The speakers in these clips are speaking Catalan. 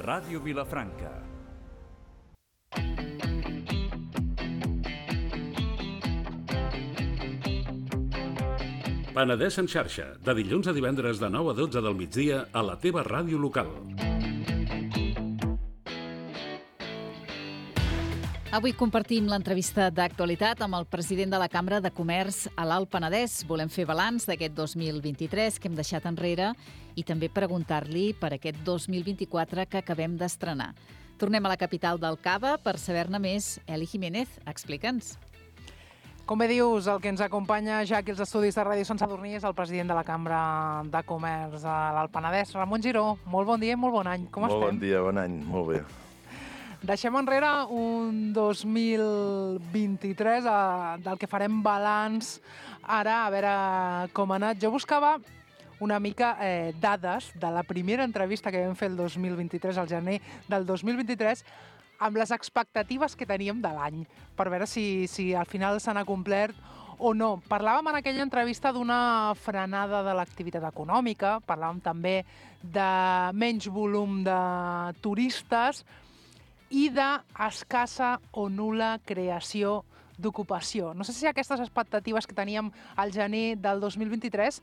Ràdio Vilafranca. Penedès en xarxa, de dilluns a divendres de 9 a 12 del migdia a la teva ràdio local. Avui compartim l'entrevista d'actualitat amb el president de la Cambra de Comerç a l'Alt Penedès. Volem fer balanç d'aquest 2023 que hem deixat enrere i també preguntar-li per aquest 2024 que acabem d'estrenar. Tornem a la capital del Cava per saber-ne més. Eli Jiménez, explica'ns. Com bé dius, el que ens acompanya ja aquí als estudis de Ràdio Sant Sadurní és el president de la Cambra de Comerç a l'Alt Penedès, Ramon Giró. Molt bon dia i molt bon any. Com estem? Molt bon dia, bon any. Molt bé. Deixem enrere un 2023 del que farem balanç ara, a veure com ha anat. Jo buscava una mica dades de la primera entrevista que vam fer el 2023, al gener del 2023, amb les expectatives que teníem de l'any, per veure si al final s'han acomplert o no. Parlàvem en aquella entrevista d'una frenada de l'activitat econòmica, parlàvem també de menys volum de turistes i d'escassa o nul·la creació d'ocupació. No sé si aquestes expectatives que teníem al gener del 2023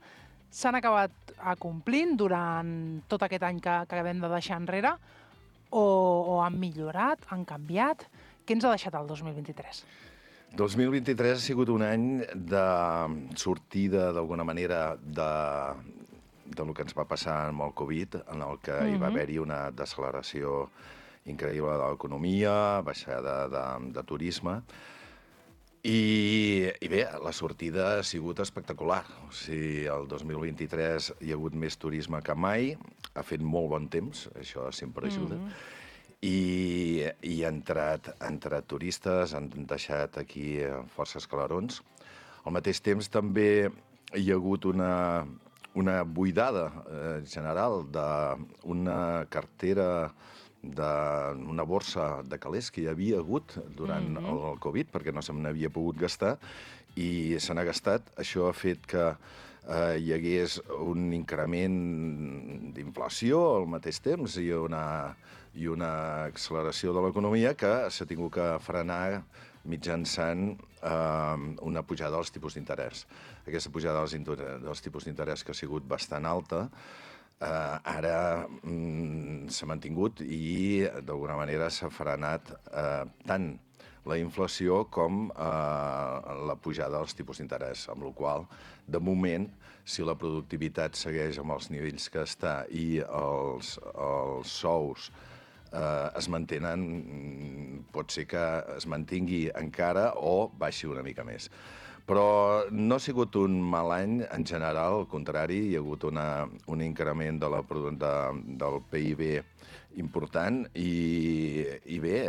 s'han acabat acomplint durant tot aquest any que acabem de deixar enrere o han millorat, han canviat? Què ens ha deixat el 2023? 2023 ha sigut un any de sortida, d'alguna manera, del que ens va passar amb el Covid, en el que hi va haver-hi una deceleració increïble de l'economia, baixada de turisme, i bé, la sortida ha sigut espectacular. O sigui, el 2023 hi ha hagut més turisme que mai, ha fet molt bon temps, això sempre ajuda, i han entrat turistes, han deixat aquí força escalarons. Al mateix temps també hi ha hagut una buidada general d'una cartera, d'una borsa de calés que hi havia hagut durant el Covid, perquè no se n'havia pogut gastar, i se n'ha gastat. Això ha fet que hi hagués un increment d'inflació al mateix temps i una acceleració de l'economia que s'ha tingut que frenar mitjançant una pujada dels tipus d'interès. Aquesta pujada dels tipus d'interès que ha sigut bastant alta, ara s'ha mantingut i d'alguna manera s'ha frenat tant la inflació com la pujada dels tipus d'interès, amb la qual cosa, de moment, si la productivitat segueix amb els nivells que està i els sous es mantenen, pot ser que es mantingui encara o baixi una mica més. Però no ha sigut un mal any en general, al contrari, hi ha hagut un increment del PIB important i bé,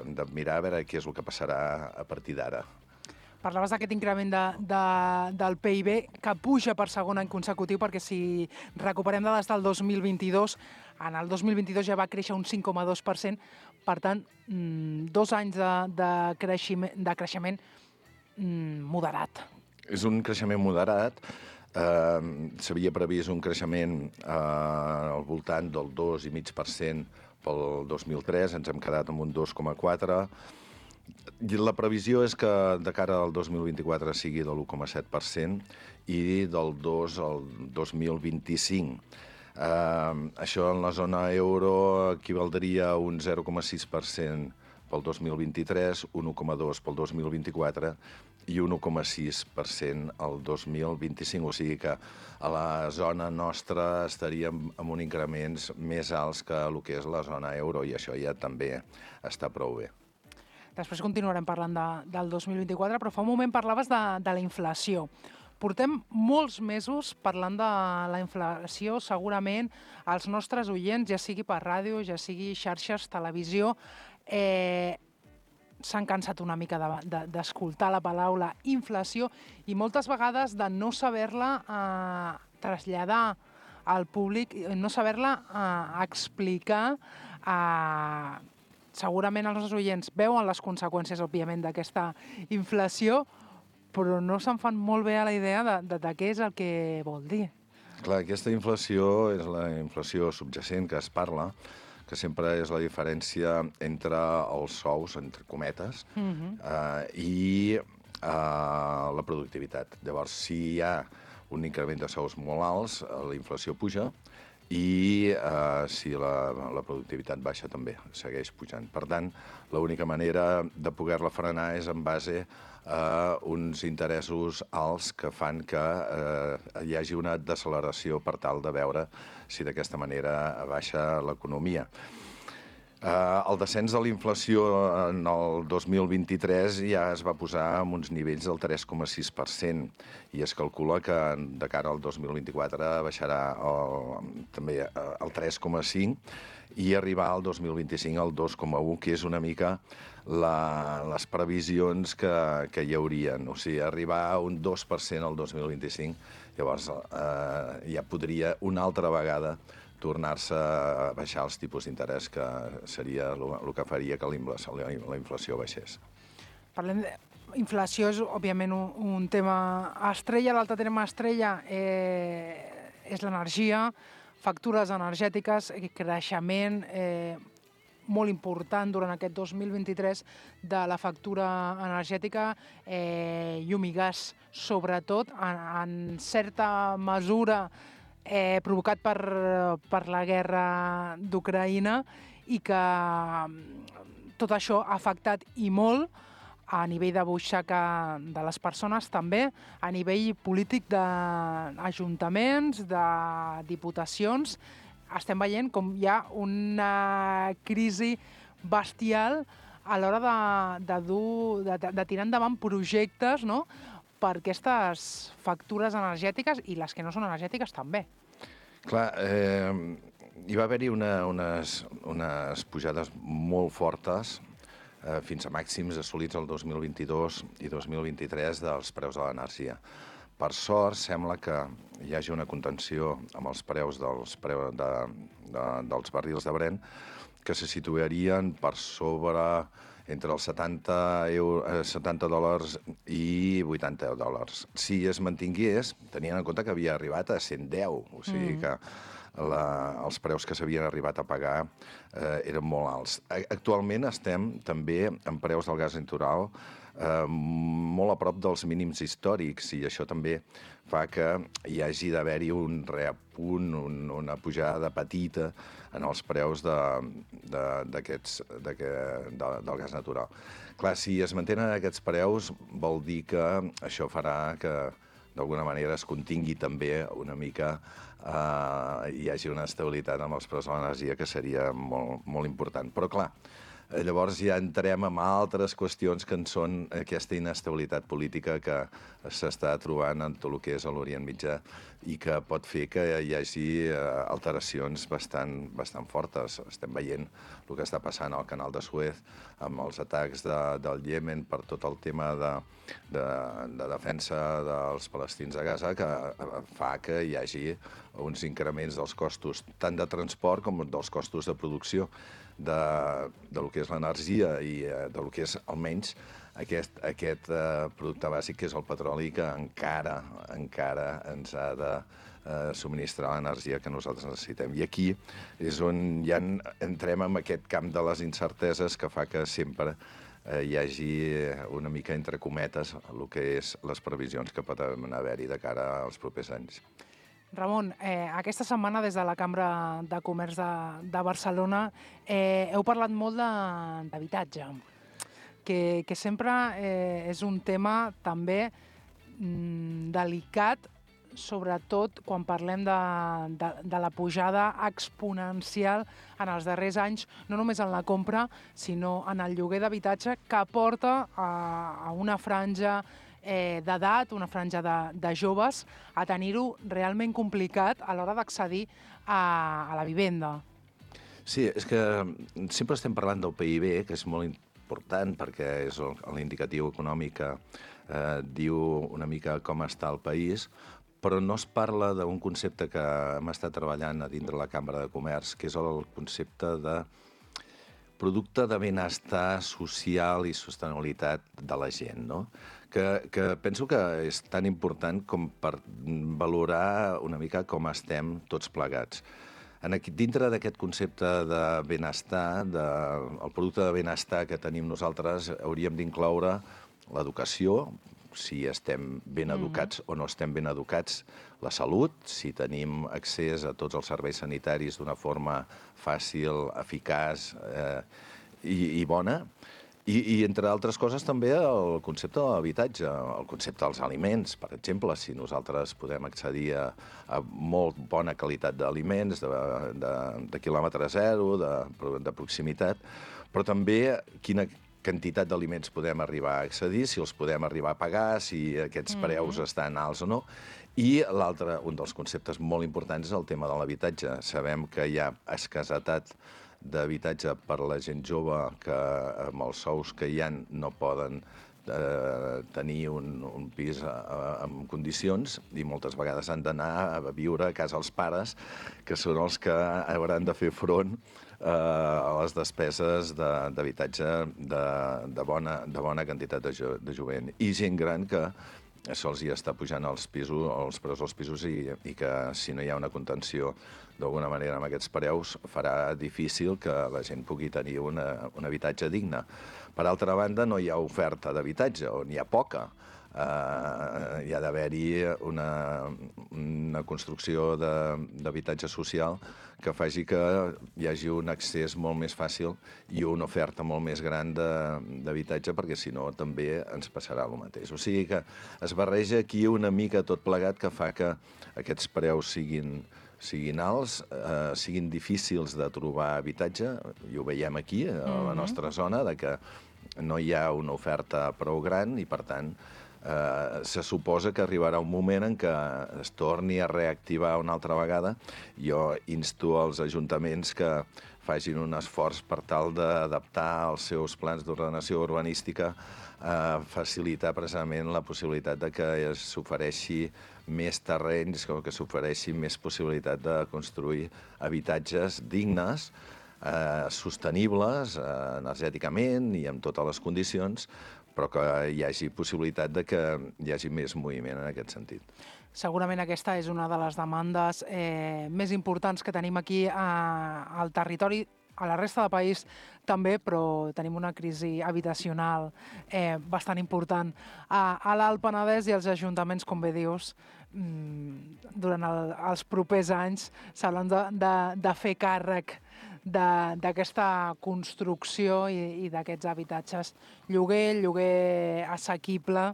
hem de mirar a veure què és el que passarà a partir d'ara. Parlaves d'aquest increment del PIB que puja per segon any consecutiu, perquè si recuperem dades del 2022, en el 2022 ja va créixer un 5,2%, per tant, 2 anys de creixement moderat. És un creixement moderat. S'havia previst un creixement al voltant del 2,5% pel 2003, ens hem quedat amb un 2,4%. La previsió és que de cara al 2024 sigui de l'1,7% i del 2 al 2025. Això en la zona euro equivaldria a un 0,6% pel 2023, un 1,2% pel 2024 i un 1,6% el 2025. O sigui que a la zona nostra estaríem amb uns increments més alts que el que és la zona euro, i això ja també està prou bé. Després continuarem parlant del 2024, però fa un moment parlaves de la inflació. Portem molts mesos parlant de la inflació, segurament els nostres oients, ja sigui per ràdio, ja sigui xarxes, televisió, s'han cansat una mica d'escoltar la paraula inflació i moltes vegades de no saber-la traslladar al públic, no saber-la explicar. Segurament els nostres oients veuen les conseqüències, òbviament, d'aquesta inflació, però no se'n fan molt bé a la idea de què és el que vol dir. Clar, aquesta inflació és la inflació subjacent que es parla, que sempre és la diferència entre els sous, entre cometes, i la productivitat. Llavors, si hi ha un increment de sous molt alts, la inflació puja, i si la productivitat baixa també, segueix pujant. Per tant, l'única manera de poder-la frenar és en base a uns interessos alts que fan que hi hagi una deceleració per tal de veure si d'aquesta manera baixa l'economia. El descens de la inflació en el 2023 ja es va posar en uns nivells del 3,6% i es calcula que de cara al 2024 baixarà també el 3,5% i arribar al 2025 al 2,1%, que és una mica les previsions que hi haurien. O sigui, arribar a un 2% al 2025, llavors ja podria una altra vegada tornar-se a baixar els tipus d'interès, que seria el que faria que la inflació baixés. Parlem d'inflació, és òbviament un tema estrella. L'altre tema estrella és l'energia, factures energètiques, creixement molt important durant aquest 2023 de la factura energètica, llum i gas, sobretot, en certa mesura provocat per la guerra d'Ucraïna, i que tot això ha afectat i molt a nivell de butxaca de les persones, també a nivell polític d'ajuntaments, de diputacions. Estem veient com hi ha una crisi bestial a l'hora de tirar endavant projectes, no?, per aquestes factures energètiques, i les que no són energètiques també. Clar, hi va haver-hi unes pujades molt fortes, fins a màxims assolits el 2022 i 2023 dels preus de l'energia. Per sort, sembla que hi hagi una contenció amb els preus dels barrils de Brent, que se situarien per sobre entre els $70 i $80. Si es mantingués, tenint en compte que havia arribat a 110, o sigui que els preus que s'havien arribat a pagar eren molt alts. Actualment estem també en preus del gas natural molt a prop dels mínims històrics, i això també fa que hi hagi d'haver-hi un reapunt, una pujada petita en els preus del gas natural. Clar, si es mantenen aquests preus, vol dir que això farà que d'alguna manera es contingui també una mica, hi hagi una estabilitat amb els preus de l'energia, que seria molt, molt important. Però clar, llavors ja entrem en altres qüestions que en són aquesta inestabilitat política que s'està trobant en tot el que és a l'Orient Mitjà, i que pot fer que hi hagi alteracions bastant fortes. Estem veient el que està passant al canal de Suez amb els atacs del Iemen per tot el tema de defensa dels palestins a Gaza, que fa que hi hagi uns increments dels costos tant de transport com dels costos de producció del que és l'energia i del que és almenys aquest producte bàsic, que és el petroli, que encara ens ha de subministrar l'energia que nosaltres necessitem. I aquí és on ja entrem en aquest camp de les incerteses, que fa que sempre hi hagi una mica entre cometes el que és les previsions que poden haver-hi de cara als propers anys. Ramon, aquesta setmana des de la Cambra de Comerç de Barcelona heu parlat molt d'habitatge, que sempre és un tema també delicat, sobretot quan parlem de la pujada exponencial en els darrers anys, no només en la compra, sinó en el lloguer d'habitatge, que porta a una franja d'edat, una franja de joves, a tenir-ho realment complicat a l'hora d'accedir a la vivenda. Sí, és que sempre estem parlant del PIB, que és molt important perquè és l'indicatiu econòmic que diu una mica com està el país, però no es parla d'un concepte que hem estat treballant a dintre la Cambra de Comerç, que és el concepte de producte de benestar social i sostenibilitat de la gent, no? Que penso que és tan important com per valorar una mica com estem tots plegats. dintre d'aquest concepte de benestar, el producte de benestar que tenim nosaltres, hauríem d'incloure l'educació, si estem ben educats o no estem ben educats, la salut, si tenim accés a tots els serveis sanitaris d'una forma fàcil, eficaç i bona, i entre altres coses també el concepte de l'habitatge, el concepte dels aliments, per exemple, si nosaltres podem accedir a molt bona qualitat d'aliments, de quilòmetre zero, de proximitat, però també quina quantitat d'aliments podem arribar a accedir, si els podem arribar a pagar, si aquests preus estan alts o no. I l'altre, un dels conceptes molt importants, és el tema de l'habitatge. Sabem que hi ha escassetat d'habitatge per a la gent jove que amb els sous que hi ha no poden tenir un pis en condicions i moltes vegades han d'anar a viure a casa els pares, que són els que hauran de fer front a les despeses d'habitatge de bona quantitat de jovent. I gent gran que se'ls hi està pujant els preus dels pisos i que si no hi ha una contenció d'alguna manera amb aquests preus farà difícil que la gent pugui tenir un habitatge digne. Per altra banda, no hi ha oferta d'habitatge, o n'hi ha poca. Hi ha d'haver-hi una construcció d'habitatge social que faci que hi hagi un accés molt més fàcil i una oferta molt més gran d'habitatge, perquè si no també ens passarà el mateix. O sigui que es barreja aquí una mica tot plegat que fa que aquests preus siguin alts, siguin difícils de trobar habitatge, i ho veiem aquí, a la nostra zona, de que no hi ha una oferta prou gran i, per tant, se suposa que arribarà un moment en què es torni a reactivar una altra vegada. Jo insto als ajuntaments que facin un esforç per tal d'adaptar els seus plans d'ordenació urbanística a facilitar precisament la possibilitat de que s'ofereixi més terrenys, que s'ofereixi més possibilitat de construir habitatges dignes, sostenibles energèticament i amb totes les condicions, però que hi hagi possibilitat de que hi hagi més moviment en aquest sentit. Segurament aquesta és una de les demandes més importants que tenim aquí al territori, a la resta del país també, però tenim una crisi habitacional bastant important. A l'Alt Penedès i els ajuntaments, com bé dius, durant els propers anys s'hauran de fer càrrec d'aquesta construcció i d'aquests habitatges. Lloguer assequible,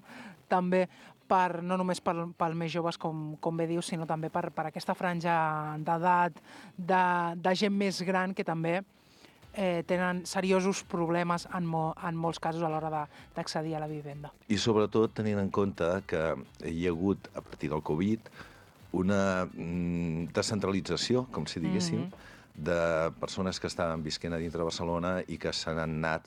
també no només pels més joves, com bé dius, sinó també per aquesta franja d'edat, de gent més gran que també tenen seriosos problemes en molts casos a l'hora d'accedir a la vivenda. I sobretot tenint en compte que hi ha hagut, a partir del Covid, una descentralització, com si diguéssim, de persones que estaven visquent a dintre de Barcelona i que se n'han anat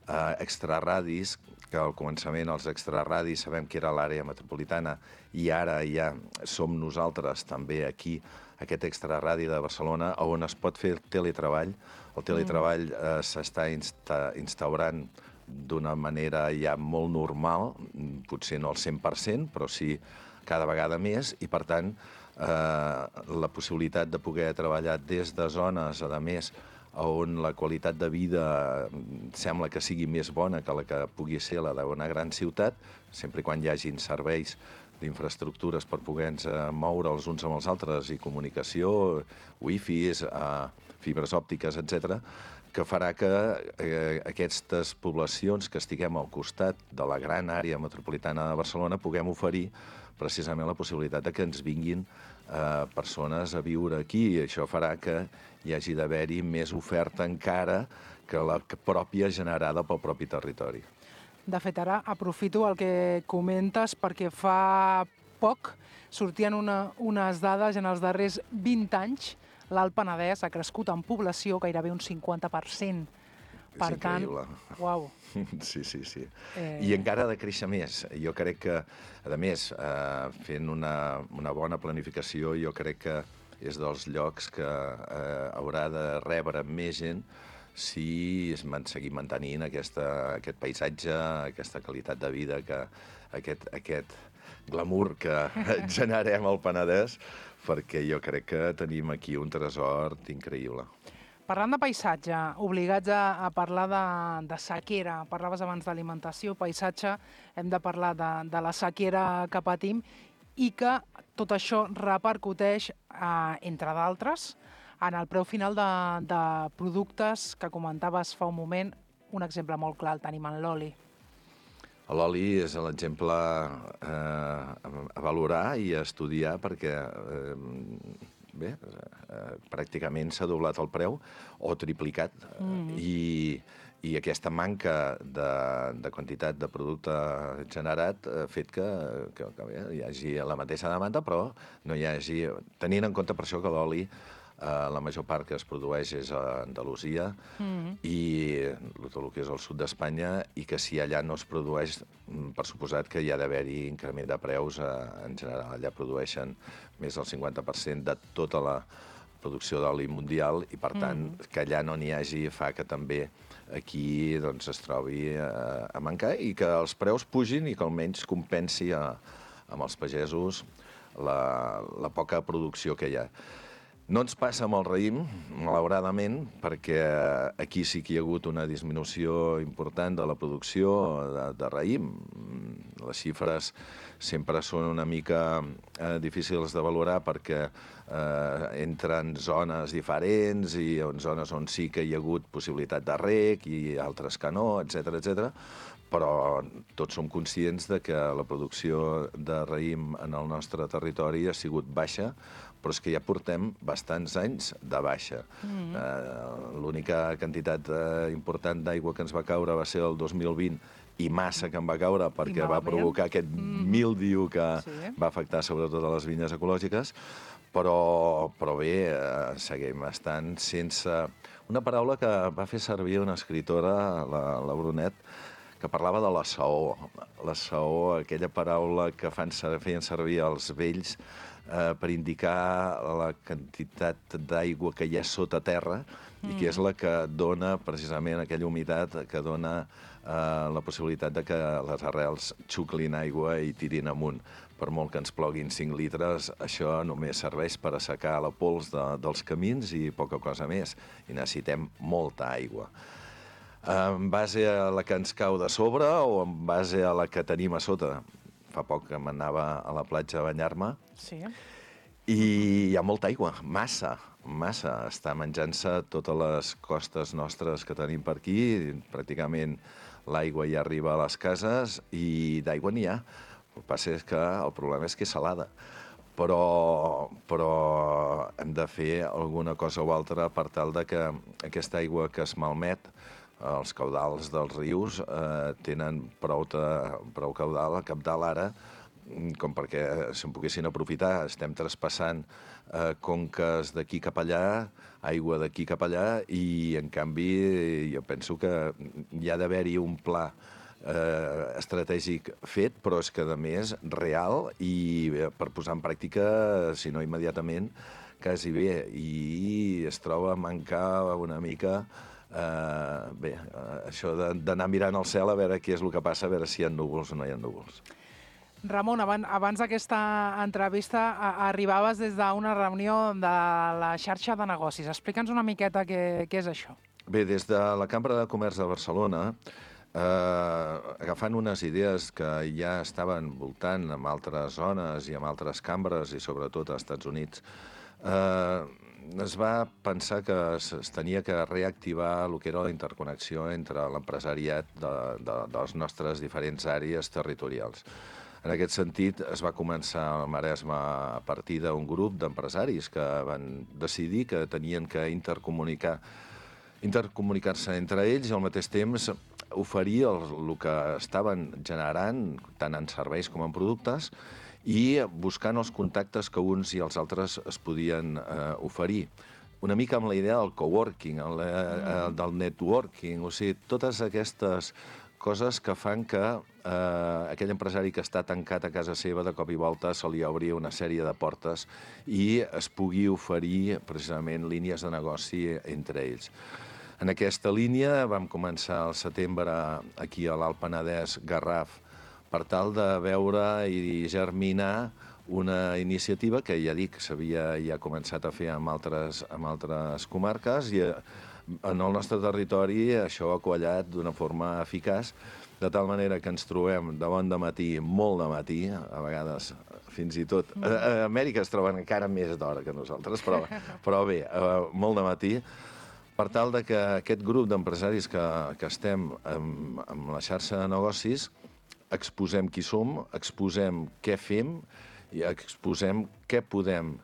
a extraradis, que al començament els extraradis sabem que era l'àrea metropolitana i ara ja som nosaltres també aquí, aquest extraradi de Barcelona, on es pot fer teletreball. El teletreball s'està instaurant d'una manera ja molt normal, potser no al 100%, però sí cada vegada més, i per tant la possibilitat de poder treballar des de zones, a més, on la qualitat de vida sembla que sigui més bona que la que pugui ser la d'una gran ciutat, sempre quan hi hagin serveis d'infraestructures per poder-nos moure els uns amb els altres, i comunicació, wifis, fibres òptiques, etc., que farà que aquestes poblacions que estiguem al costat de la gran àrea metropolitana de Barcelona puguem oferir precisament la possibilitat que ens vinguin persones a viure aquí, i això farà que hi hagi d'haver-hi més oferta encara que la pròpia generada pel propi territori. De fet, ara aprofito el que comentes perquè fa poc sortien unes dades en els darrers 20 anys. L'Alt Penedès ha crescut en població gairebé un 50%. És increïble. Uau. Sí. I encara ha de créixer més. Jo crec que, a més, fent una bona planificació, jo crec que és dels llocs que haurà de rebre més gent si seguim mantenint aquest paisatge, aquesta qualitat de vida, aquest glamour que generem al Penedès, perquè jo crec que tenim aquí un tresor increïble. Parlant de paisatge, obligats a parlar de sequera, parlaves abans d'alimentació, paisatge, hem de parlar de la sequera que patim i que tot això repercuteix, entre d'altres, en el preu final de productes que comentaves fa un moment. Un exemple molt clar el tenim en l'oli. L'oli és l'exemple a valorar i a estudiar perquè pràcticament s'ha doblat el preu o triplicat i aquesta manca de quantitat de producte generat ha fet que hi hagi la mateixa demanda, però no hi hagi... Tenint en compte per això que l'oli, la major part que es produeix és a Andalusia i tot el que és el sud d'Espanya, i que si allà no es produeix, per suposat que hi ha d'haver-hi increment de preus en general. Allà produeixen més del 50% de tota la producció d'oli mundial i, per tant, que allà no n'hi hagi fa que també aquí es trobi a mancar i que els preus pugin i que almenys compensi amb els pagesos la poca producció que hi ha. No ens passa amb el raïm, malauradament, perquè aquí sí que hi ha hagut una disminució important de la producció de raïm. Les xifres sempre són una mica difícils de valorar perquè entren zones diferents i en zones on sí que hi ha hagut possibilitat de reg i altres que no, etc. Però tots som conscients de que la producció de raïm en el nostre territori ha sigut baixa, però és que ja portem bastants anys de baixa. L'única quantitat important d'aigua que ens va caure va ser el 2020, i massa que en va caure perquè va provocar aquest míldiu que va afectar sobretot a les vinyes ecològiques, però bé, seguim estant sense... Una paraula que va fer servir una escriptora, la Brunet, que parlava de la saó. La saó, aquella paraula que feien servir els vells per indicar la quantitat d'aigua que hi ha sota terra i que és la que dona precisament aquella humitat que dona la possibilitat de que les arrels xuclin aigua i tirin amunt. Per molt que ens ploguin 5 litres, això només serveix per assecar la pols dels camins i poca cosa més. I necessitem molta aigua. En base a la que ens cau de sobre o en base a la que tenim a sota? Fa poc que m'anava a la platja a banyar-me i hi ha molta aigua, massa. Està menjant-se totes les costes nostres que tenim per aquí. Pràcticament l'aigua ja arriba a les cases i d'aigua n'hi ha. El que passa és que el problema és que és salada. Però hem de fer alguna cosa o altra per tal de que aquesta aigua que es malmet, els caudals dels rius tenen prou cabdal ara com perquè se'n poguessin aprofitar. Estem traspassant conques d'aquí cap allà, aigua d'aquí cap allà, i en canvi jo penso que hi ha d'haver-hi un pla estratègic fet, però és que a més real i per posar en pràctica, si no immediatament, quasi bé. I es troba a mancar una mica això d'anar mirant al cel a veure què és el que passa, a veure si hi ha núvols o no hi ha núvols. Ramon, abans d'aquesta entrevista arribaves des d'una reunió de la xarxa de negocis. Explica'ns una miqueta què és això. Bé, des de la Cambra de Comerç de Barcelona, agafant unes idees que ja estaven voltant en altres zones i en altres cambres, i sobretot als Estats Units, es va pensar que es tenia que reactivar el que era la interconnexió entre l'empresariat de les nostres diferents àrees territorials. En aquest sentit, es va començar al Maresme a partir d'un grup d'empresaris que van decidir que tenien que intercomunicar-se entre ells i al mateix temps oferir el que estaven generant, tant en serveis com en productes, i buscant els contactes que uns i els altres es podien oferir. Una mica amb la idea del coworking, del networking, o sigui, totes aquestes coses que fan que aquell empresari que està tancat a casa seva de cop i volta se li obri una sèrie de portes i es pugui oferir precisament línies de negoci entre ells. En aquesta línia vam començar al setembre aquí a l'Alt Penedès, Garraf, per tal de veure i germinar una iniciativa que ja dic, s'havia ja començat a fer amb altres comarques i en el nostre territori això ha quallat d'una forma eficaç, de tal manera que ens trobem de bon dematí, molt de matí, a vegades fins i tot... A Amèrica es troben encara més d'hora que nosaltres, però bé, molt de matí, per tal de que aquest grup d'empresaris que estem amb la xarxa de negocis exposem qui som, exposem què fem i exposem què podem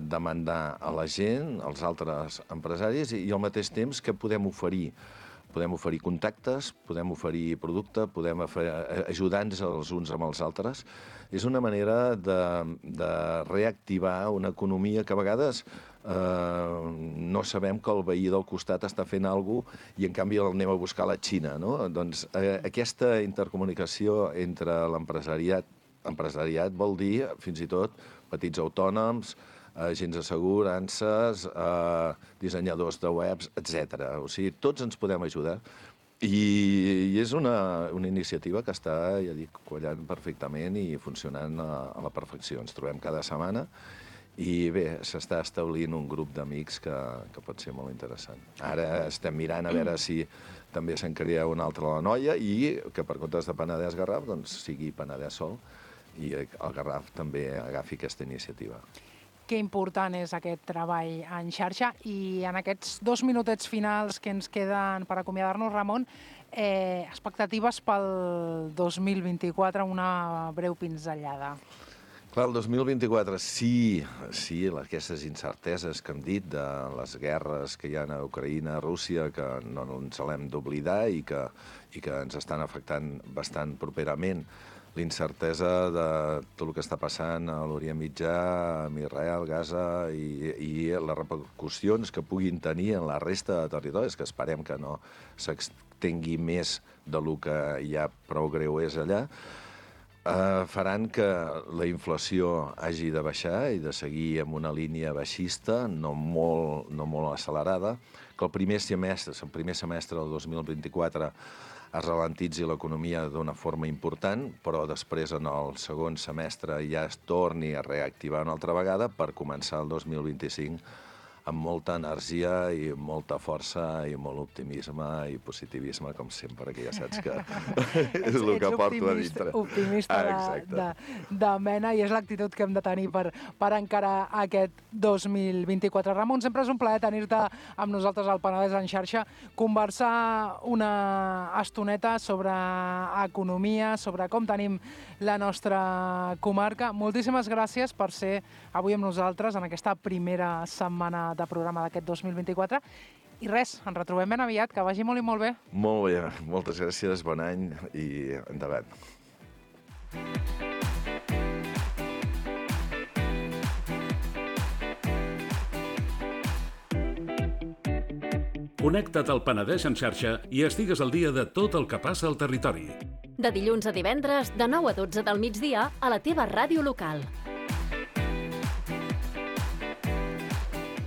demandar a la gent, als altres empresaris, i al mateix temps què podem oferir. Podem oferir contactes, podem oferir producte, podem ajudar-nos els uns amb els altres. És una manera de reactivar una economia que a vegades no sabem que el veí del costat està fent alguna cosa i en canvi l'anem a buscar a la Xina, no? Doncs aquesta intercomunicació entre l'empresariat vol dir fins i tot petits autònoms, agents d'assegurances, dissenyadors de webs, etc. O sigui, tots ens podem ajudar. I és una iniciativa que està, ja dic, quallant perfectament i funcionant a la perfecció. Ens trobem cada setmana i bé, s'està establint un grup d'amics que pot ser molt interessant. Ara estem mirant a veure si també se'n crea una altra a la Noia i que per comptes de Penedès Garraf doncs sigui Penedès sol i el Garraf també agafi aquesta iniciativa. Que important és aquest treball en xarxa. I en aquests 2 minutets finals que ens queden per acomiadar-nos, Ramon, expectatives pel 2024, una breu pinzellada. Clar, el 2024, sí, aquestes incerteses que hem dit de les guerres que hi ha a Ucraïna, Rússia, que no ens l'hem d'oblidar i que ens estan afectant bastant properament. L'incertesa de tot el que està passant a l'Orient Mitjà, amb Israel, Gaza, i les repercussions que puguin tenir en la resta de territoris, que esperem que no s'extengui més del que ja prou greu és allà, faran que la inflació hagi de baixar i de seguir amb una línia baixista, no molt accelerada, que el primer semestre del 2024 es ralentitzi l'economia d'una forma important, però després en el segon semestre ja es torni a reactivar una altra vegada per començar el 2025 amb molta energia i molta força i molt optimisme i positivisme, com sempre, que ja saps que és el que porto a dintre. Ets optimista de mena i és l'actitud que hem de tenir per encarar aquest 2024. Ramon, sempre és un plaer tenir-te amb nosaltres al Penedès en xarxa, conversar una estoneta sobre economia, sobre com tenim la nostra comarca. Moltíssimes gràcies per ser avui amb nosaltres en aquesta primera setmana de programa d'aquest 2024. I res, ens retrobem ben aviat, que vagi molt i molt bé. Molt bé, moltes gràcies, bon any i endavant. Connecta't al Penedès en xarxa i estigues al dia de tot el que passa al territori. De dilluns a divendres, de 9 a 12 del migdia, a la teva ràdio local.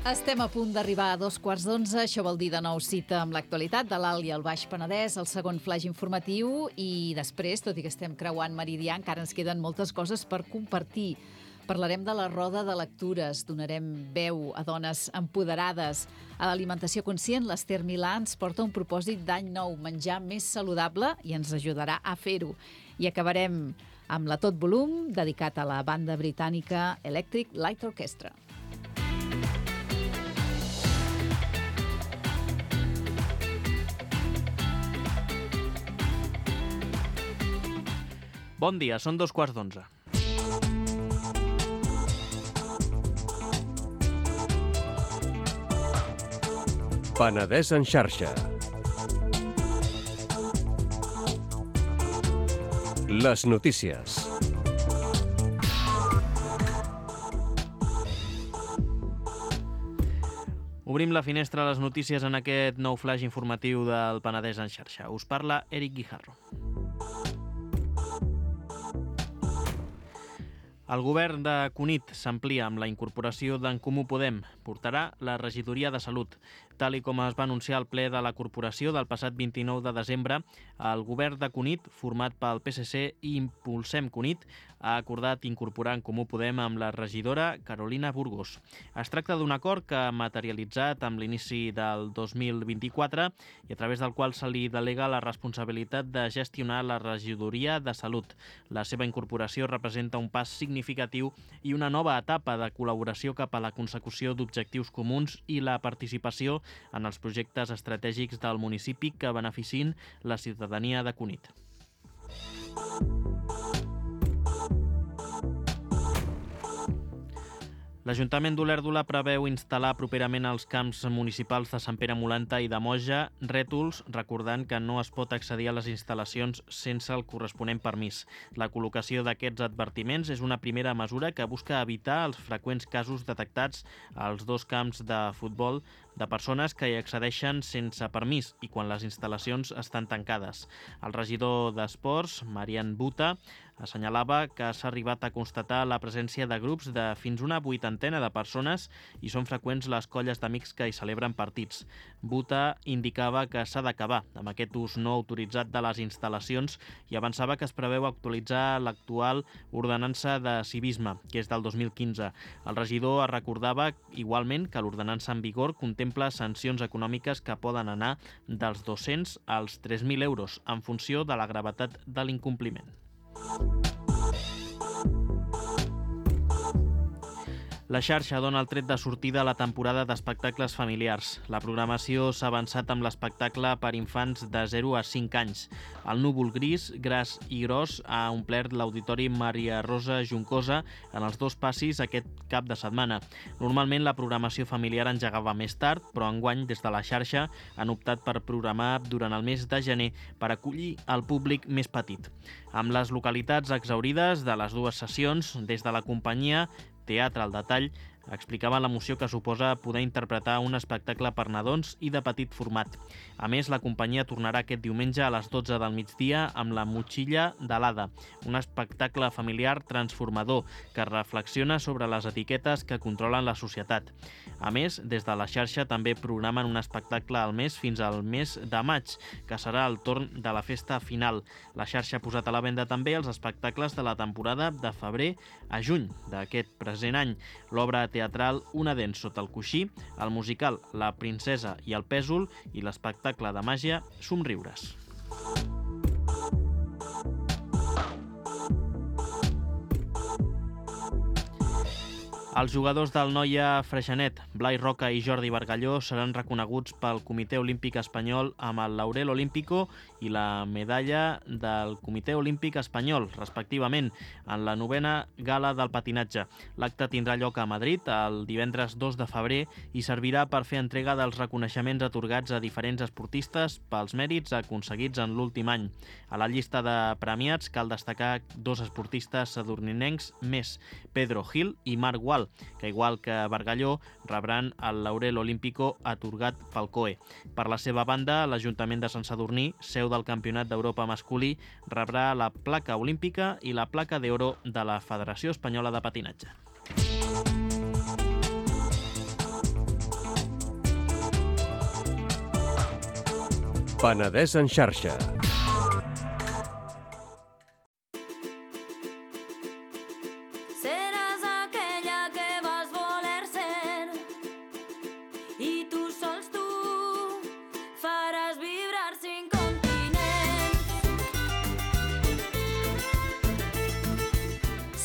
Estem a punt d'arribar a 11:15, això vol dir de nou cita amb l'actualitat de l'Alt i el Baix Penedès, el segon flaix informatiu, i després, tot i que estem creuant meridià, encara ens queden moltes coses per compartir. Parlarem de la roda de lectures, donarem veu a dones empoderades. A l'Alimentació Conscient, l'Ester Milà ens porta un propòsit d'any nou, menjar més saludable, i ens ajudarà a fer-ho. I acabarem amb la Tot Volum, dedicat a la banda britànica Electric Light Orchestra. Bon dia, són 11:15. Penedès en xarxa. Les notícies. Obrim la finestra a les notícies en aquest nou flaix informatiu del Penedès en xarxa. Us parla Eric Guijarro. El govern de Cunit s'amplia amb la incorporació d'en Comú Podem. Portarà la regidoria de Salut. Tal i com es va anunciar al ple de la corporació del passat 29 de desembre, el govern de Cunit, format pel PSC i Impulsem Cunit, ha acordat incorporar en Comú Podem amb la regidora Carolina Burgos. Es tracta d'un acord que ha materialitzat amb l'inici del 2024 i a través del qual se li delega la responsabilitat de gestionar la regidoria de Salut. La seva incorporació representa un pas significatiu i una nova etapa de col·laboració cap a la consecució d'objectius comuns i la participació en els projectes estratègics del municipi que beneficien la ciutadania de Cunit. L'Ajuntament d'Olèrdola preveu instal·lar properament als camps municipals de Sant Pere Molanta i de Moja rètols, recordant que no es pot accedir a les instal·lacions sense el corresponent permís. La col·locació d'aquests advertiments és una primera mesura que busca evitar els freqüents casos detectats als dos camps de futbol de persones que hi accedeixen sense permís i quan les instal·lacions estan tancades. El regidor d'Esports, Marian Buta, assenyalava que s'ha arribat a constatar la presència de grups de fins una 80 de persones i són freqüents les colles d'amics que hi celebren partits. Buta indicava que s'ha d'acabar amb aquest ús no autoritzat de les instal·lacions i avançava que es preveu actualitzar l'actual ordenança de civisme, que és del 2015. El regidor recordava igualment que l'ordenança en vigor contempla sancions econòmiques que poden anar dels 200 als 3.000 euros en funció de la gravetat de l'incompliment. La xarxa dona el tret de sortida a la temporada d'espectacles familiars. La programació s'ha avançat amb l'espectacle per infants de 0 a 5 anys. El núvol gris, gras i gros ha omplert l'Auditori Maria Rosa Juncosa en els dos passis aquest cap de setmana. Normalment la programació familiar engegava més tard, però enguany des de la xarxa han optat per programar durant el mes de gener per acollir el públic més petit. Amb les localitats exhaurides de les dues sessions, des de la companyia Teatre al Detall, explicaven l'emoció que suposa poder interpretar un espectacle per nadons i de petit format. A més, la companyia tornarà aquest diumenge a les 12 del migdia amb La Motxilla de l'Ada, un espectacle familiar transformador que reflexiona sobre les etiquetes que controlen la societat. A més, des de la xarxa també programen un espectacle al mes fins al mes de maig, que serà el torn de la festa final. La xarxa ha posat a la venda també els espectacles de la temporada de febrer a juny d'aquest present any. L'obra teatral Una dent sota el coixí, el musical La princesa i el pèsol i l'espectacle de màgia Somriures. Els jugadors del Noia Freixenet, Blai Roca i Jordi Bargalló, seran reconeguts pel Comitè Olímpic Espanyol amb el Laurel Olímpico i la medalla del Comitè Olímpic Espanyol, respectivament, en la 9a gala del patinatge. L'acte tindrà lloc a Madrid el divendres 2 de febrer i servirà per fer entrega dels reconeixements atorgats a diferents esportistes pels mèrits aconseguits en l'últim any. A la llista de premiats cal destacar dos esportistes sadurninencs més, Pedro Gil i Marc Gual, que igual que Bargalló rebran el Laurel Olímpico atorgat pel COE. Per la seva banda, l'Ajuntament de Sant Sadurní, seu del Campionat d'Europa masculí, rebrà la placa olímpica i la placa d'oro de la Federació Espanyola de Patinatge. Penedès en xarxa.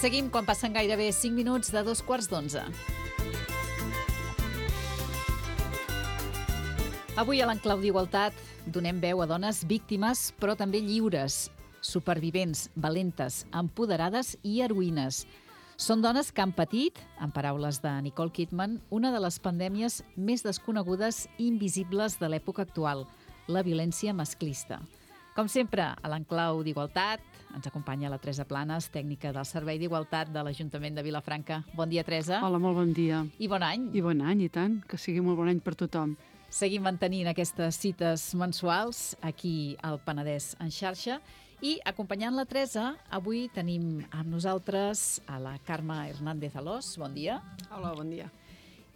Seguim quan passen gairebé 5 minuts de 11:15. Avui a l'Enclau d'Igualtat donem veu a dones víctimes, però també lliures, supervivents, valentes, empoderades i heroïnes. Són dones que han patit, en paraules de Nicole Kidman, una de les pandèmies més desconegudes i invisibles de l'època actual, la violència masclista. Com sempre, a l'Enclau d'Igualtat ens acompanya la Teresa Planes, tècnica del Servei d'Igualtat de l'Ajuntament de Vilafranca. Bon dia, Teresa. Hola, molt bon dia. I bon any. I bon any, i tant. Que sigui molt bon any per tothom. Seguim mantenint aquestes cites mensuals aquí al Penedès en xarxa I acompanyant la Teresa, avui tenim amb nosaltres a la Carme Hernández Alós, bon dia, Hola, bon dia.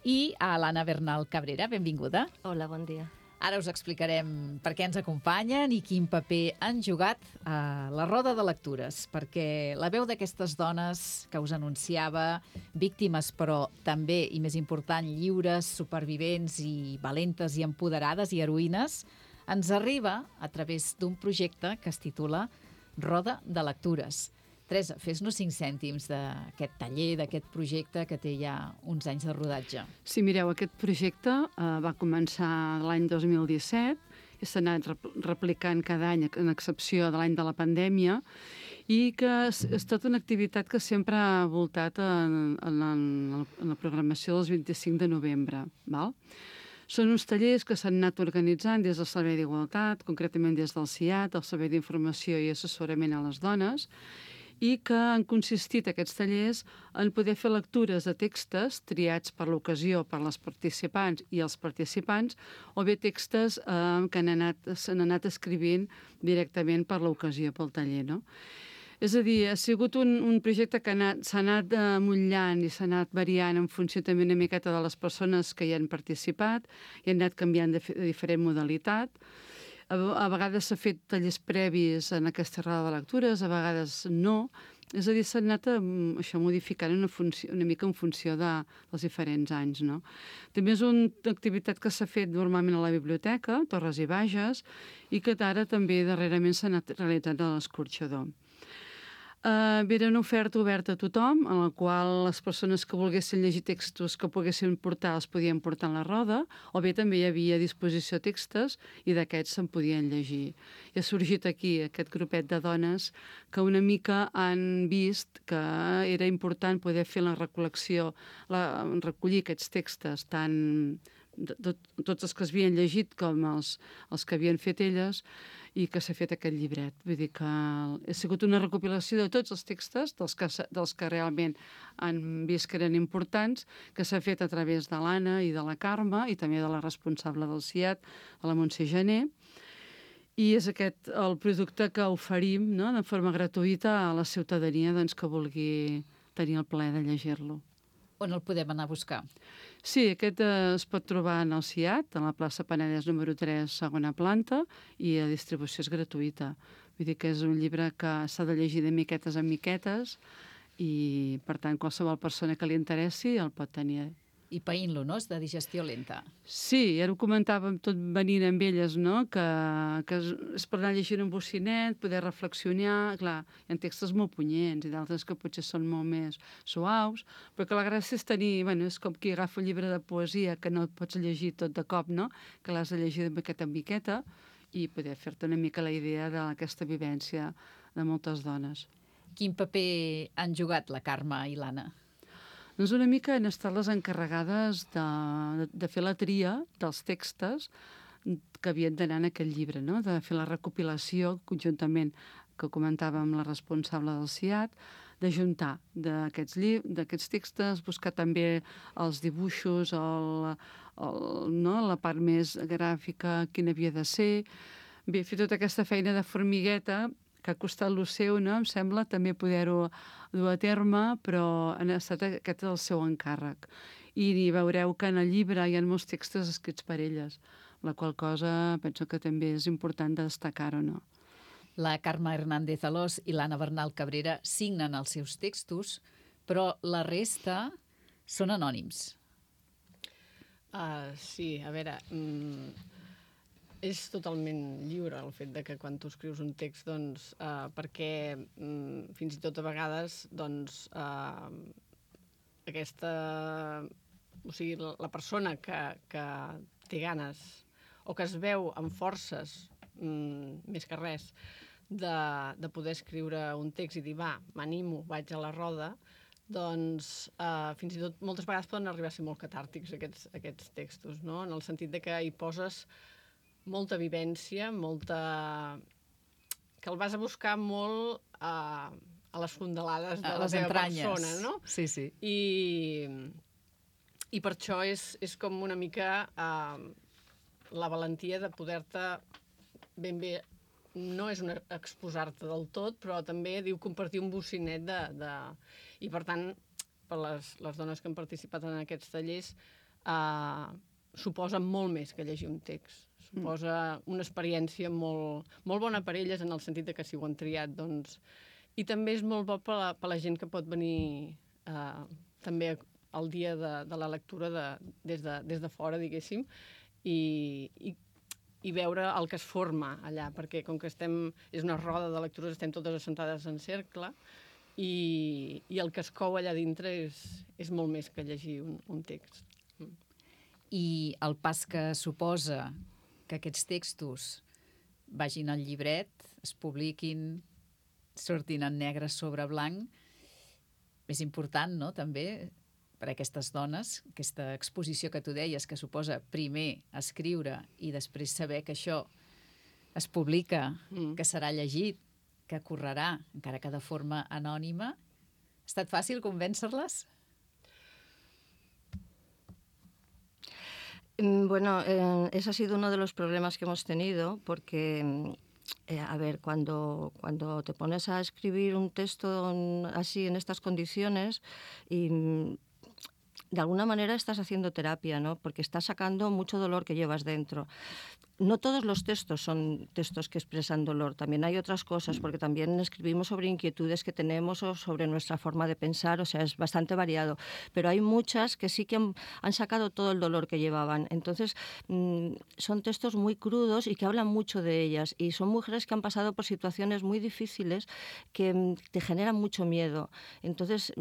i a l'Anna Bernal Cabrera, benvinguda. Hola, bon dia. Ara us explicarem per què ens acompanyen i quin paper han jugat a la roda de lectures, perquè la veu d'aquestes dones que us anunciava, víctimes però també, i més important, lliures, supervivents i valentes i empoderades i heroïnes, ens arriba a través d'un projecte que es titula Roda de Lectures. Teresa, fes-nos 5 cèntims d'aquest taller, d'aquest projecte que té ja uns anys de rodatge. Sí, mireu, aquest projecte va començar l'any 2017 i s'ha anat replicant cada any, en excepció de l'any de la pandèmia, i que és tota una activitat que sempre ha voltat en la programació dels 25 de novembre. Val? Són uns tallers que s'han anat organitzant des del Servei d'Igualtat, concretament des del CIAT, el Servei d'Informació i Assessorament a les Dones, i que han consistit aquests tallers en poder fer lectures de textos triats per l'ocasió per les participants i els participants, o bé textos que s'han anat escrivint directament per l'ocasió, pel taller, no? És a dir, ha sigut un projecte que s'ha anat mullant i s'ha anat variant en funció també una miqueta de les persones que hi han participat i han anat canviant de diferent modalitat. A vegades s'ha fet tallers previs en aquesta roda de lectures, a vegades no. És a dir, s'ha anat modificant una mica en funció dels diferents anys, no? També és una activitat que s'ha fet normalment a la biblioteca, Torres i Bages, i que ara també darrerament s'ha anat realitzant a l'Escorxador. Era una oferta oberta a tothom, en la qual les persones que volguessin llegir textos que poguessin portar els podien portar en la roda, o bé també hi havia a disposició textos i d'aquests se'n podien llegir. I ha sorgit aquí aquest grupet de dones que una mica han vist que era important poder fer la recol·lecció, recollir aquests textos, tant tots els que es havien llegit com els que havien fet elles, i que s'ha fet aquest llibret. Vull dir que ha sigut una recopilació de tots els textos, dels que realment han vist que eren importants, que s'ha fet a través de l'Anna i de la Carme, i també de la responsable del CIAT, de la Montse Gené, i és aquest el producte que oferim, no?, de forma gratuïta a la ciutadania que vulgui tenir el plaer de llegir-lo. On el podem anar a buscar? Sí, aquest es pot trobar en el CIAT, a la plaça Penedès número 3, segona planta, i la distribució és gratuïta. Vull dir que és un llibre que s'ha de llegir de miquetes en miquetes i, per tant, qualsevol persona que li interessi el pot tenir. I païnt-lo, no? És de digestió lenta. Sí, ja ho comentàvem tot venint amb elles, no?, que és per anar llegint un bocinet, poder reflexionar. Clar, hi ha textos molt punyents i d'altres que potser són molt més suaus, però que la gràcia és tenir, bueno, és com qui agafa un llibre de poesia que no et pots llegir tot de cop, no?, que l'has de llegir de miqueta en miqueta i poder fer-te una mica la idea d'aquesta vivència de moltes dones. Quin paper han jugat la Carme i l'Anna? Doncs una mica han estat les encarregades de fer la tria dels textos que havien d'anar en aquest llibre, no?, de fer la recopilació conjuntament, que comentàvem amb la responsable del CIAT, de juntar d'aquests textos, buscar també els dibuixos, la part més gràfica, quina havia de ser. Bé, fer tota aquesta feina de formigueta que ha costat lo seu, no?, em sembla, també poder-ho dur a terme, però aquest és el seu encàrrec. I veureu que en el llibre hi ha molts textos escrits per elles, la qual cosa penso que també és important de destacar-ho, no? La Carme Hernández Alós i l'Anna Bernal Cabrera signen els seus textos, però la resta són anònims. Sí, a veure, és totalment lliure el fet de que quan tu escrius un text, doncs, perquè fins i tot a vegades, doncs, o sigui, la persona que té ganes o que es veu amb forces, més que res, de poder escriure un text i dir, va, m'animo, vaig a la roda, doncs fins i tot moltes vegades poden arribar a ser molt catàrtics aquests textos, no? En el sentit de que hi poses molta vivència, que el vas a buscar molt a les fondalades de la teva persona, no? Sí, sí. I per això és com una mica la valentia de poder-te ben bé no és exposar-te del tot, però també diu compartir un bocinet I, per tant, per les dones que han participat en aquests tallers, suposa molt més que llegir un text. Suposa una experiència molt bona per elles, en el sentit que si ho han triat, doncs... I també és molt bo per la gent que pot venir també el dia de la lectura des de fora, diguéssim, i veure el que es forma allà, perquè com que és una roda de lectures, estem totes assentades en cercle, i el que es cou allà dintre és molt més que llegir un text. I el pas que suposa que aquests textos vagin al llibret, es publiquin, sortin en negre sobre blanc, és important, no?, també, per a aquestes dones, aquesta exposició que tu deies, que suposa primer escriure i després saber que això es publica, que serà llegit, que correrà, encara que de forma anònima. Ha estat fàcil convèncer-les? Bueno, ese ha sido uno de los problemas que hemos tenido, porque... a ver, cuando te pones a escribir un texto así en estas condiciones y de alguna manera estás haciendo terapia, ¿no? Porque estás sacando mucho dolor que llevas dentro. No todos los textos son textos que expresan dolor, también hay otras cosas, porque también escribimos sobre inquietudes que tenemos o sobre nuestra forma de pensar, o sea, es bastante variado, pero hay muchas que sí que han sacado todo el dolor que llevaban. Entonces, son textos muy crudos y que hablan mucho de ellas, y son mujeres que han pasado por situaciones muy difíciles que te generan mucho miedo. Entonces,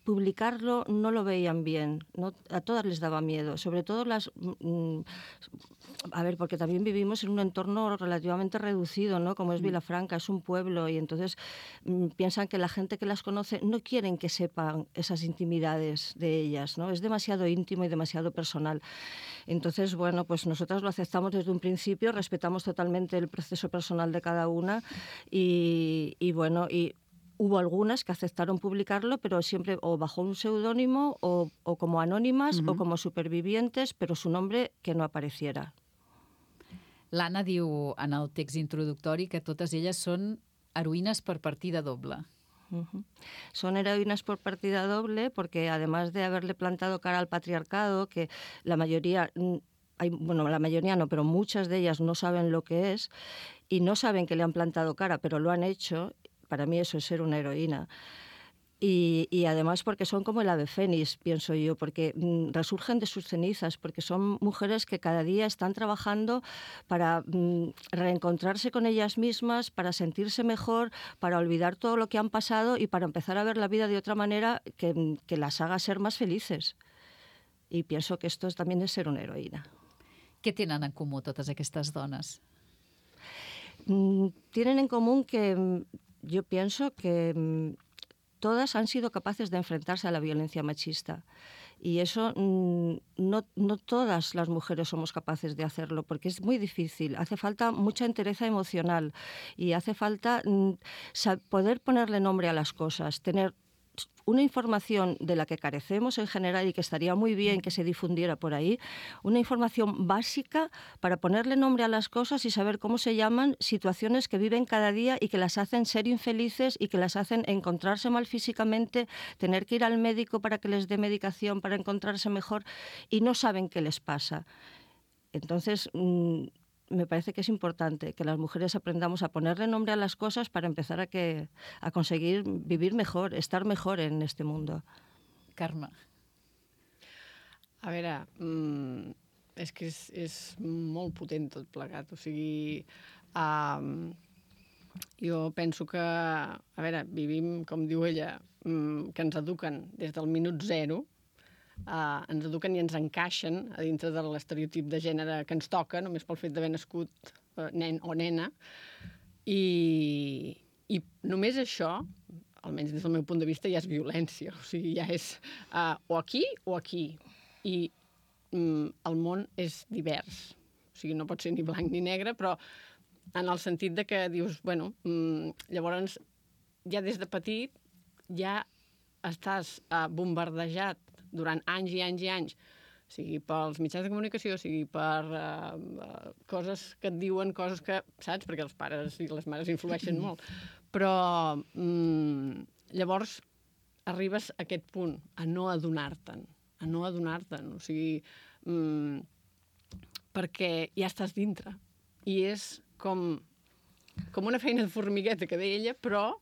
publicarlo no lo veían bien, ¿no? A todas les daba miedo, sobre todo a ver, porque también vivimos en un entorno relativamente reducido, ¿no? Como es Vilafranca, es un pueblo, y entonces piensan que la gente que las conoce no quieren que sepan esas intimidades de ellas, ¿no? Es demasiado íntimo y demasiado personal. Entonces, bueno, pues nosotras lo aceptamos desde un principio, respetamos totalmente el proceso personal de cada una y bueno, y hubo algunas que aceptaron publicarlo, pero siempre o bajo un seudónimo o como anònimes o como supervivientes, però su nombre que no apareciera. L'Anna diu en el text introductori que totes elles són heroïnes per partida doble. Son heroínas por partida doble porque además de haberle plantado cara al patriarcado, que la mayoría... bueno, la mayoría no, pero muchas de ellas no saben lo que es y no saben que le han plantado cara, pero lo han hecho. Para mí eso es ser una heroína. Y además porque son como el ave fénix, pienso yo, porque resurgen de sus cenizas, porque son mujeres que cada día están trabajando para reencontrarse con ellas mismas, para sentirse mejor, para olvidar todo lo que han pasado y para empezar a ver la vida de otra manera que las haga ser más felices. Y pienso que esto también es ser una heroína. Què tenen en comú totes aquestes dones? Tienen en común que... Yo pienso que todas han sido capaces de enfrentarse a la violencia machista y eso no todas las mujeres somos capaces de hacerlo porque es muy difícil, hace falta mucha entereza emocional y hace falta poder ponerle nombre a las cosas, tener una información de la que carecemos en general y que estaría muy bien que se difundiera por ahí, una información básica para ponerle nombre a las cosas y saber cómo se llaman situaciones que viven cada día y que las hacen ser infelices y que las hacen encontrarse mal físicamente, tener que ir al médico para que les dé medicación para encontrarse mejor y no saben qué les pasa. Entonces, me parece que es importante que las mujeres aprendamos a ponerle nombre a las cosas para empezar a conseguir vivir mejor, estar mejor en este mundo. Carme. A veure, és que és molt potent tot plegat. O sigui, jo penso que, a veure, vivim, com diu ella, que ens eduquen des del minut zero, ens eduquen i ens encaixen a dintre de l'estereotip de gènere que ens toca, només pel fet d'haver nascut nen o nena, i només això, almenys des del meu punt de vista, ja és violència, o sigui, ja és o aquí o aquí, i el món és divers, o sigui, no pot ser ni blanc ni negre, però en el sentit de que dius, bueno, llavors ja des de petit ja estàs bombardejat durant anys i anys i anys sigui pels mitjans de comunicació, sigui per coses que et diuen, coses que, saps? Perquè els pares i les mares influeixen molt. Però llavors arribes a aquest punt, a no adonar-te'n. O sigui, perquè ja estàs dintre. I és com una feina de formigueta, que deia ella, però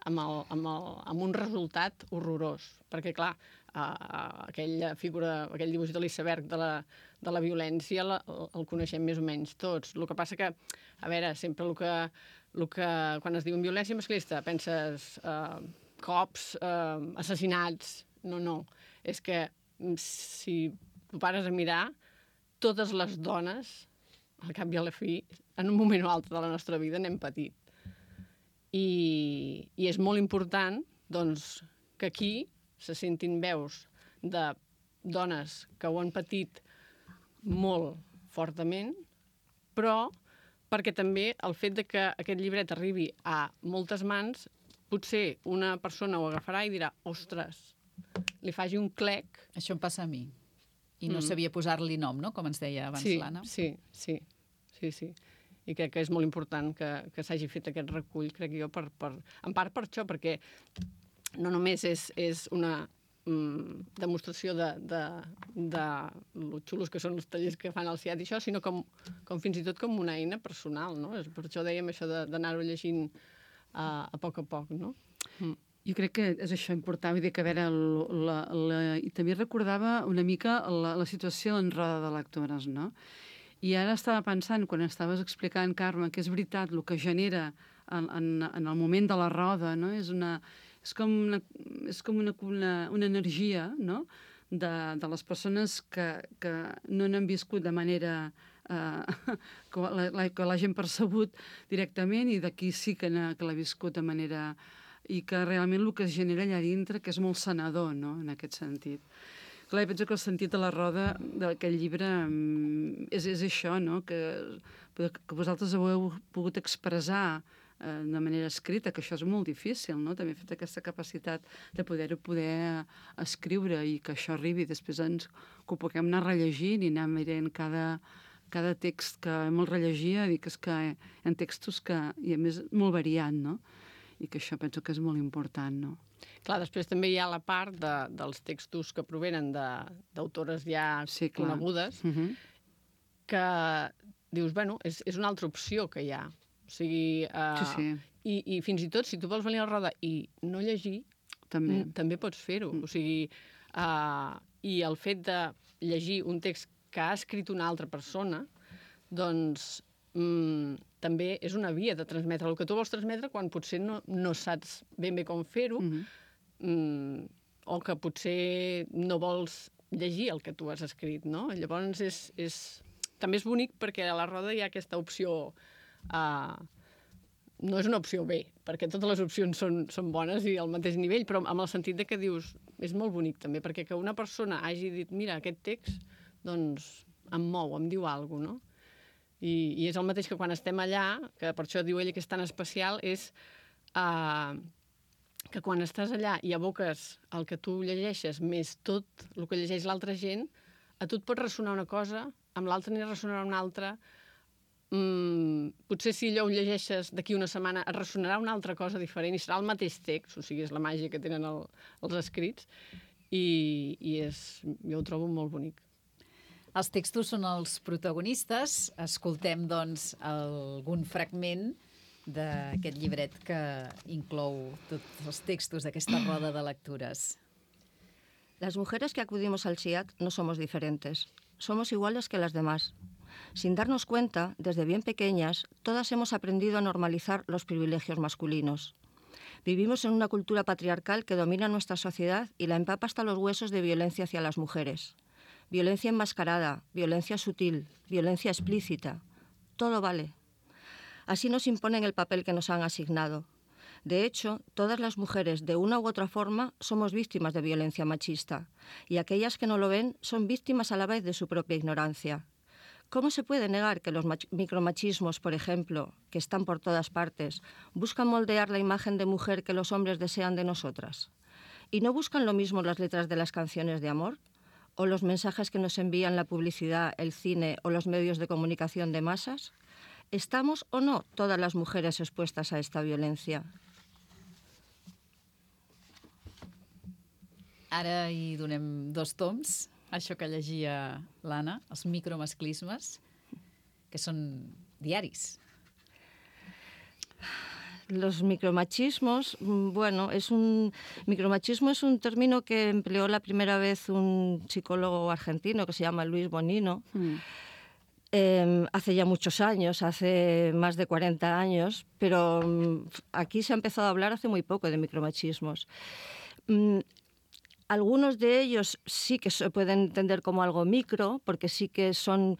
amb un resultat horrorós. Perquè, clar, aquella figura, aquell dibuix de l'iceberg de la violència el coneixem més o menys tots. El que passa que, a veure, sempre quan es diu violència masclista penses cops, assassinats... No. És que si tu pares a mirar, totes les dones, al cap i a la fi, en un moment o altre de la nostra vida n'hem patit. I és molt important, doncs, que aquí se sentin veus de dones que ho han patit molt fortament, però perquè també el fet de que aquest llibret arribi a moltes mans, potser una persona ho agafarà i dirà, ostres, li faci un clec. Això em passa a mi. I no sabia posar-li nom, no?, com ens deia abans l'Anna. Sí. I crec que és molt important que s'hagi fet aquest recull, crec jo, en part per això, perquè no només és una demostració de lo xulos que són els tallers que fan al CIAT i això, sinó com fins i tot com una eina personal, no? Per això dèiem això d'anar-ho llegint a poc, no? Jo crec que és això important, vull dir que a veure, i també recordava una mica la situació en roda de lectores, no? I ara estava pensant, quan estaves explicant, Carme, que és veritat, el que genera en el moment de la roda, no? És com una energia, no?, de les persones que no n'han viscut de manera que l'hagin percebut directament, i d'aquí sí que l'ha viscut de manera... i que realment el que es genera allà dintre, que és molt sanador, no?, en aquest sentit. Clar, penso que el sentit de la roda d'aquest llibre és això, no?, que vosaltres ho heu pogut expressar de manera escrita, que això és molt difícil, no?, també fet aquesta capacitat de poder escriure i que això arribi, després que ho puguem anar rellegint i anar mirant cada text que hem rellegia, i que és que hi ha textos que, i a més, molt variat, no?, i que això penso que és molt important, no? Clar, després també hi ha la part dels textos que provenen d'autores ja conegudes, que dius, bueno, és una altra opció que hi ha. O sigui, i fins i tot, si tu vols venir a la roda i no llegir, també pots fer-ho. O sigui, i el fet de llegir un text que ha escrit una altra persona, doncs també és una via de transmetre el que tu vols transmetre quan potser no saps ben bé com fer-ho, o que potser no vols llegir el que tu has escrit, no? Llavors també és bonic perquè a la roda hi ha aquesta opció, no és una opció B, perquè totes les opcions són bones i al mateix nivell, però amb el sentit de que dius, és molt bonic també, perquè que una persona hagi dit, mira, aquest text, doncs em mou, em diu alguna cosa, no? I és el mateix que quan estem allà, que per això diu ella que és tan especial, és que quan estàs allà i aboques el que tu llegeixes més tot el que llegeix l'altra gent, a tu et pot ressonar una cosa, amb l'altra n'hi ressonarà una altra, potser si allò ho llegeixes d'aquí una setmana et ressonarà una altra cosa diferent i serà el mateix text, o sigui, és la màgia que tenen els escrits, i jo ho trobo molt bonic. Els textos són els protagonistes. Escoltem, doncs, algun fragment d'aquest llibret que inclou tots els textos d'aquesta roda de lectures. Las mujeres que acudimos al CIAT no somos diferentes. Somos iguales que las demás. Sin darnos cuenta, desde bien pequeñas, todas hemos aprendido a normalizar los privilegios masculinos. Vivimos en una cultura patriarcal que domina nuestra sociedad y la empapa hasta los huesos de violencia hacia las mujeres. Violencia enmascarada, violencia sutil, violencia explícita. Todo vale. Así nos imponen el papel que nos han asignado. De hecho, todas las mujeres, de una u otra forma, somos víctimas de violencia machista, y aquellas que no lo ven son víctimas a la vez de su propia ignorancia. ¿Cómo se puede negar que los micromachismos, por ejemplo, que están por todas partes, buscan moldear la imagen de mujer que los hombres desean de nosotras? ¿Y no buscan lo mismo las letras de las canciones de amor? o los mensajes que nos envían la publicidad, el cine o los medios de comunicación de masas? ¿Estamos o no todas las mujeres expuestas a esta violencia? Ara hi donem 2 toms, això que llegia l'Anna, els micromasclismes, que són diaris. Los micromachismos, bueno, micromachismo es un término que empleó la primera vez un psicólogo argentino que se llama Luis Bonino, hace ya muchos años, hace más de 40 años, pero aquí se ha empezado a hablar hace muy poco de micromachismos. Algunos de ellos sí que se pueden entender como algo micro, porque sí que son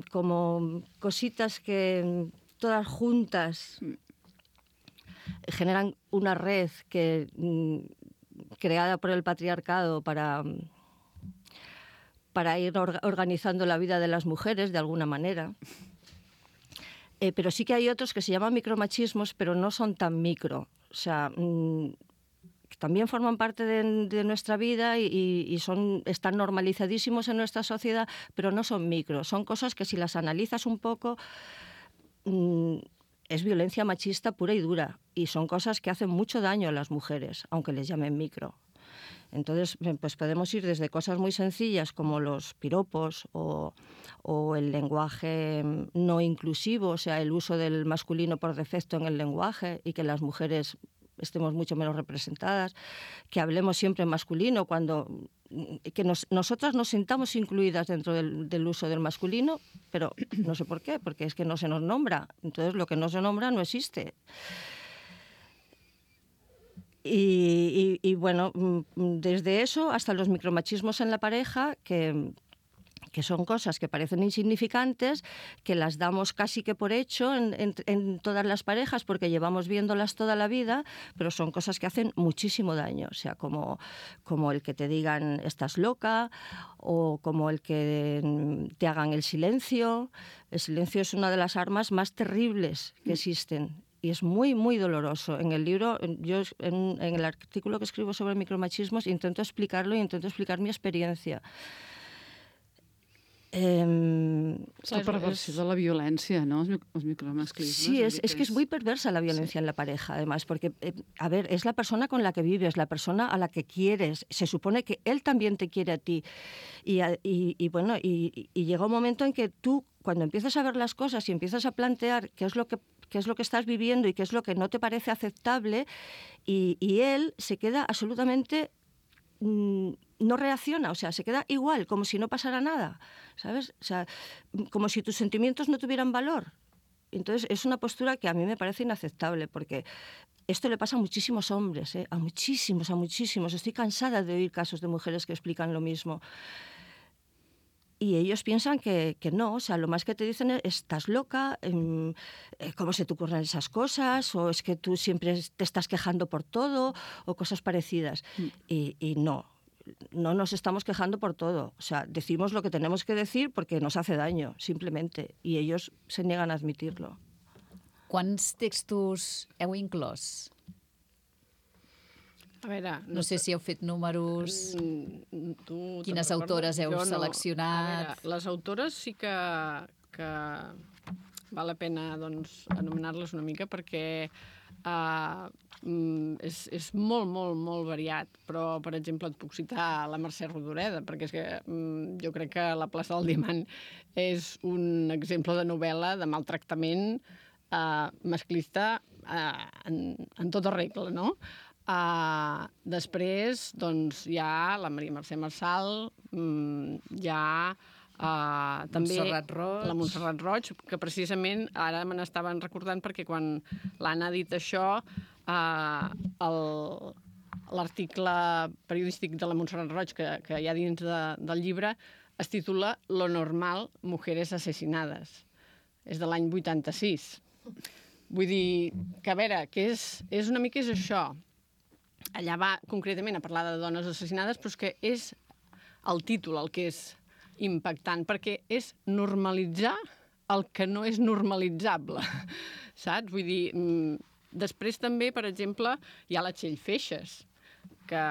como cositas que todas juntas generan una red creada por el patriarcado para ir organizando la vida de las mujeres de alguna manera. Pero sí que hay otros que se llaman micromachismos, pero no son tan micro. O sea, también forman parte de nuestra vida y están normalizadísimos en nuestra sociedad, pero no son micro. Son cosas que si las analizas un poco es violencia machista pura y dura, y son cosas que hacen mucho daño a las mujeres, aunque les llamen micro. Entonces, pues podemos ir desde cosas muy sencillas como los piropos o el lenguaje no inclusivo, o sea, el uso del masculino por defecto en el lenguaje y que las mujeres estemos mucho menos representadas, que hablemos siempre en masculino, que nosotras nos sintamos incluidas dentro del uso del masculino, pero no sé por qué, porque es que no se nos nombra. Entonces, lo que no se nombra no existe. Y bueno, desde eso hasta los micromachismos en la pareja, que son cosas que parecen insignificantes, que las damos casi que por hecho en todas las parejas porque llevamos viéndolas toda la vida, pero son cosas que hacen muchísimo daño. O sea, como el que te digan estás loca, o como el que te hagan el silencio. El silencio es una de las armas más terribles que existen. Y es muy, muy doloroso. En el libro, yo en el artículo que escribo sobre micromachismos intento explicarlo y intento explicar mi experiencia. La perversió de la violència, no? Els micromasclismes. Sí, es que es muy perversa la violencia en la pareja, además, porque, a ver, es la persona con la que vives, la persona a la que quieres. Se supone que él también te quiere a ti. Y bueno, y llega un momento en que tú, cuando empiezas a ver las cosas y empiezas a plantear qué es lo que estás viviendo y qué es lo que no te parece aceptable, y él se queda absolutamente... no reacciona, o sea, se queda igual, como si no pasara nada, ¿sabes? O sea, como si tus sentimientos no tuvieran valor. Entonces, es una postura que a mí me parece inaceptable, porque esto le pasa a muchísimos hombres, a muchísimos. Estoy cansada de oír casos de mujeres que explican lo mismo. Y ellos piensan que no, o sea, lo más que te dicen es estás loca, ¿cómo se te ocurren esas cosas? O es que tú siempre te estás quejando por todo, o cosas parecidas. Y no nos estamos quejando por todo. O sea, decimos lo que tenemos que decir porque nos hace daño, simplemente. Y ellos se niegan a admitirlo. Quants textos heu inclòs? A veure... No sé si heu fet números, quines autores heu seleccionat... A veure, les autores sí que val la pena doncs, anomenar-les una mica perquè és molt, molt, molt variat. Però, per exemple, et puc citar la Mercè Rodoreda, perquè és que jo crec que La plaça del Diamant és un exemple de novel·la de maltractament masclista en tota regla, no? Després, doncs, hi ha la Maria Mercè Marçal, hi ha també la Montserrat Roig, que precisament ara me n'estaven recordant perquè quan l'Anna ha dit això, l'article periodístic de la Montserrat Roig que hi ha dins del llibre es titula Lo normal, mujeres asesinadas. És de l'any 86. Vull dir que, a veure, que és una mica això. Allà va concretament a parlar de dones assassinades, però és que és el títol el que és impactant, perquè és normalitzar el que no és normalitzable, saps? Vull dir, després també, per exemple, hi ha la Txell Feixes, que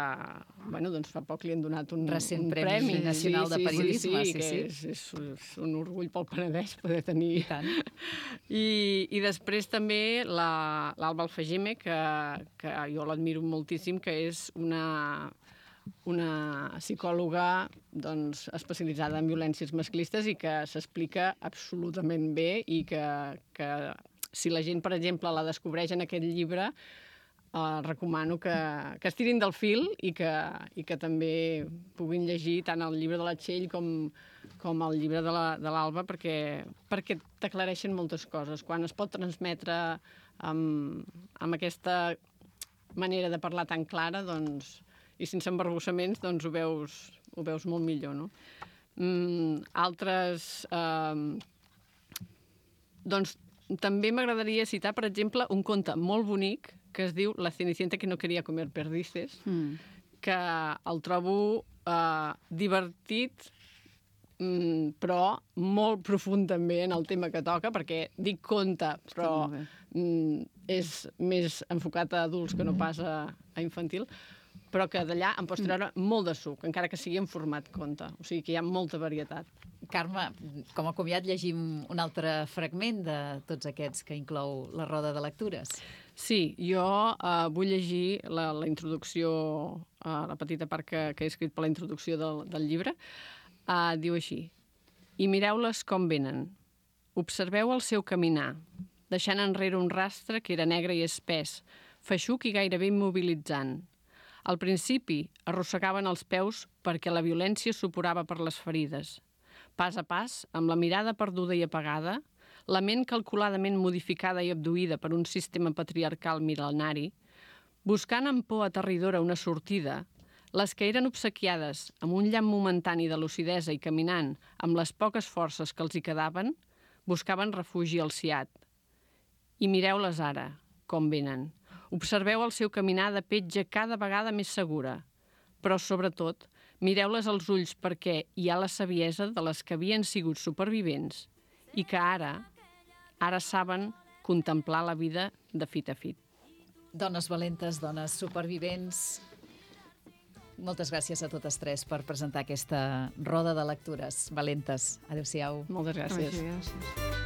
doncs fa poc li han donat un Premi Nacional de Periodisme. Sí. És un orgull pel Penedès poder tenir. I tant. I després també l'Alba Alfageme, que jo l'admiro moltíssim, que és una psicòloga especialitzada en violències masclistes i que s'explica absolutament bé i que si la gent, per exemple, la descobreix en aquest llibre, recomano que es tirin del fil i que també puguin llegir tant el llibre de la Txell com el llibre de l'Alba, perquè t'aclareixen moltes coses. Quan es pot transmetre amb aquesta manera de parlar tan clara, i sense embarbussaments, ho veus molt millor, no? Altres... també m'agradaria citar, per exemple, un conte molt bonic que es diu La Cenicienta que no quería comer perdices, que el trobo divertit, però molt profund també en el tema que toca, perquè dic conte, però és més enfocat a adults que no pas a infantil, però que d'allà em pots treure molt de suc, encara que sigui en format conte. O sigui que hi ha molta varietat. Carme, com a comiat llegim un altre fragment de tots aquests que inclou la roda de lectures. Sí, jo vull llegir la introducció, la petita part que he escrit per la introducció del llibre. Diu així: i mireu-les com venen. Observeu el seu caminar, deixant enrere un rastre que era negre i espès, feixuc i gairebé immobilitzant. Al principi arrossegaven els peus perquè la violència suporava per les ferides. Pas a pas, amb la mirada perduda i apagada, la ment calculadament modificada i abduïda per un sistema patriarcal mil·lenari, buscant amb por aterridora una sortida, les que eren obsequiades amb un llamp momentani de lucidesa i caminant amb les poques forces que els hi quedaven, buscaven refugi al Siat. I mireu-les ara, com venen. Observeu el seu caminar de petja cada vegada més segura, però, sobretot, mireu-les als ulls perquè hi ha la saviesa de les que havien sigut supervivents i que ara saben contemplar la vida de fit a fit. Dones valentes, dones supervivents, moltes gràcies a totes tres per presentar aquesta roda de lectures valentes. Adéu-siau. Moltes gràcies. Gràcies.